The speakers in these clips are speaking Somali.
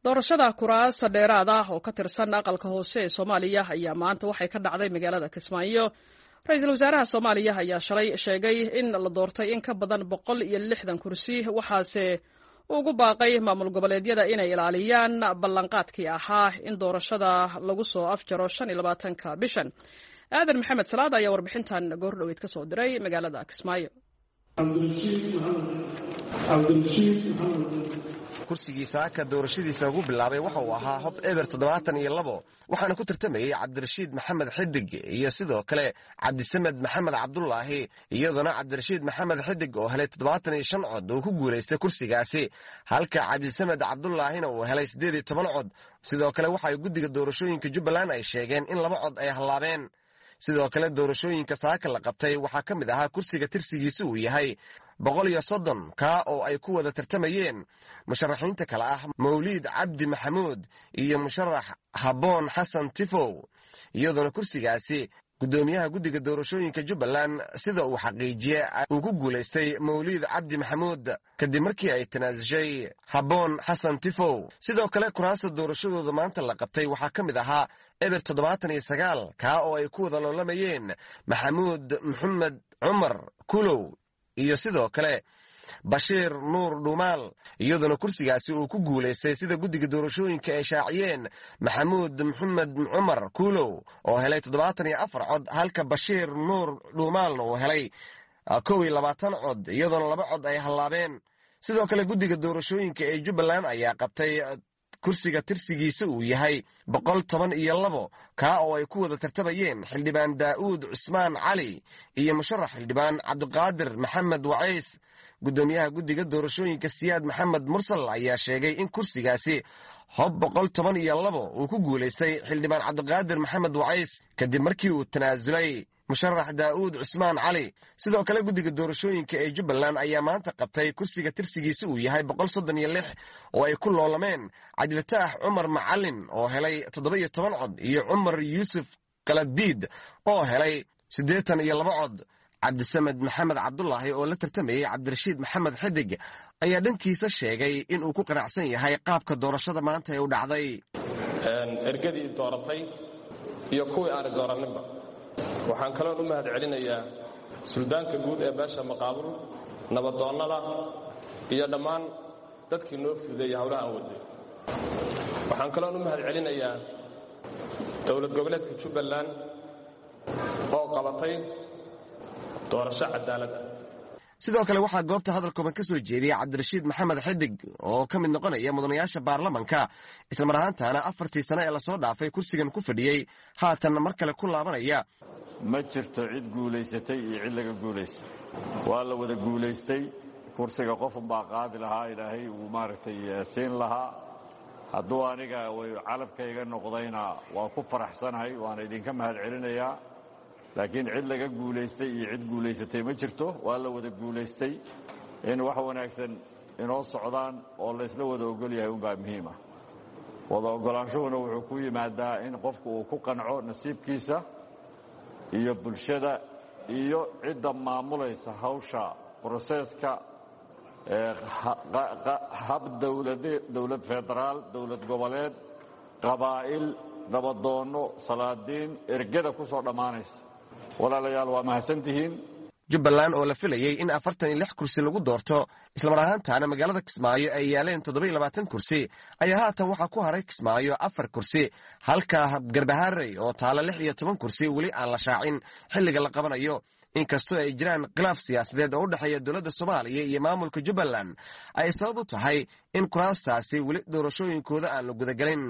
Doorashada kuraasta dheeraad ah oo ka tirsan aqalka hoose ee Soomaaliya ayaa maanta waxay ka dhacday magaalada Kismaayo. Ra-iisul wasaaraha Soomaaliya ayaa shalay sheegay in la doortay in ka badan 160 kursi, waxaase ugu baaqay maamul goboleedyada inay ilaaliyaan ballanqaadkii ahaa in doorashada lagu soo afjaro 25-ka bishan. Aadan Maxamed Salaad ayaa warbixintan goordhoweyd ka soo diray magaalada Kismaayo. Kursigii saaka doorashadiisa ugu bilaabay waxa uu ahaa hob eber 72, waxaana ku tartamayey Cabdirashiid Maxamed Xidig iyo sidoo kale Cabdisamed Maxamed Cabdulaahi, iyadoona Cabdirashiid Maxamed Xidig oo helay 75 cod uu ku guulaystay kursigaasi, halka Cabdisamed Cabdulaahina uu helay 18 cod. Sidoo kale waxay guddiga doorashooyinka Jubbaland ay sheegeen in 2 cod ay hallaabeen. Sidoo kale doorashooyinka saaka la qabtay waxaa ka mid ahaa kursiga tirsigiisa uu yahay 130, kaa oo ay ku wada tartamayeen musharaxiinta kale ah Mawliid Cabdi Maxamuud iyo musharax Habboon Xasan Tifow, iyadoona kursigaasi guddoomiyaha guddiga doorashooyinka Jubbaland sida uu xaqiijiyey uu ku guulaystay Mawliid Cabdi Maxamuud kadib markii ay tanaasushay Habboon Xasan Tifow. Sidoo kale kuraasta doorashadooda maanta la qabtay waxaa ka mid ahaa eber 79, kaa oo ay ku wada loolamayeen Maxamuud Maxamed Cumar Kulow iyo sidoo kale Bashiir Nuur Dhuumaal, iyadoona kursigaasi uu ku guulaystay sida guddiga doorashooyinka ay shaaciyeen Maxamuud Maxamed Cumar Kuulow oo helay 74 cod, halka Bashiir Nuur Dhuumaalna uu helay 21 cod, iyadoona 2 cod ay hallaabeen. Sidoo kale guddiga doorashooyinka ee Jubbaland ayaa qabtay kursiga tirsigiisa uu yahay 112, kaa oo ay ku wada tartamayeen xildhibaan Daa'uud Cusmaan Cali iyo musharax xildhibaan Cabdiqaadir Maxamed Wacays. Guddoomiyaha guddiga doorashooyinka Siyaad Maxamed Mursal ayaa sheegay in kursigaasi hob 112 uu ku guulaystay xildhibaan Cabdiqaadir Maxamed Wacays kadib markii uu tanaasulay musharax Daa'uud Cusmaan Cali. Sidoo kale guddiga doorashooyinka ee Jubbaland ayaa maanta qabtay kursiga tirsigiisa uu yahay 136 oo ay ku loolameen Cabdifataax Cumar Macalin oo helay 17 cod iyo Cumar Yuusuf Kaladiid oo helay 82 cod. Cabdisamed Maxamed Cabdulaahi oo la tartamayey Cabdirashiid Maxamed Xidig ayaa dhankiisa sheegay inuu ku qanacsan yahay qaabka doorashada maanta ee u dhacday. Ergadii dooratay iyo kuwii aanay dooraninba, waxaan kaloon u mahad celinayaa suldaanka guud ee beesha Maqaabul, nabadoonnada iyo dhammaan dadkii noo fudeeyey howlaha aan waday. Waxaan kaloon u mahad celinayaa dowlad goboleedka Jubbaland oo qabatay doorasho cadaalad ah. Sidoo kale waxaa goobta hadal kooban ka soo jeediyey Cabdirashiid Maxamed Xidig oo ka mid noqonaya mudanayaasha baarlamanka, islamar ahaantaana 4-tii sano ee lasoo dhaafay kursigan ku fadhiyey, haatanna mar kale ku laabanaya. Ma jirto cid guulaysatay iyo cid laga guulaystay, waa la wada guulaystay. Kursiga qofunbaa qaadi lahaa, Ilaahay uu maaragtay siin lahaa. Hadduu aniga calabkayga noqdayna waa ku faraxsanahay, waana idinka mahad celinayaa. Laakiin cid laga guulaystay iyo cid guulaysatay ma jirto, waa la wada guulaystay. In wax wanaagsan inoo socdaan oo laysla wada ogol yahay unbaa muhiim ah. Wada oggolaanshuhuna wuxuu ku yimaadaa in qofku uu ku qanco nasiibkiisa iyo bulshada iyo cidda maamulaysa hawsha broseeska, hab dowlad federaal, dowlad goboleed, qabaa'il, nabadoonno, salaadiin, ergada ku soo dhammaanaysa. Walaalayaal, waa mahadsantihiin. Jubbaland oo la filayey in 46 kursi lagu doorto, islamar ahaantaana magaalada Kismaayo ay yaaleen 27 kursi, ayaa haatan waxaa ku haray Kismaayo 4 kursi, halka Garbaharey oo taala 16 kursi weli aan la shaacin xilliga la qabanayo. Inkastoo ay jiraan khilaaf siyaasadeed oo u dhexeeya dowladda Soomaaliya iyo maamulka Jubbaland ay sabab u tahay in kuraastaasi weli doorashooyinkooda aan la gudagelin.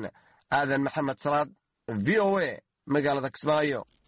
Aadan Maxamed Salaad, V O A, magaalada Kismaayo.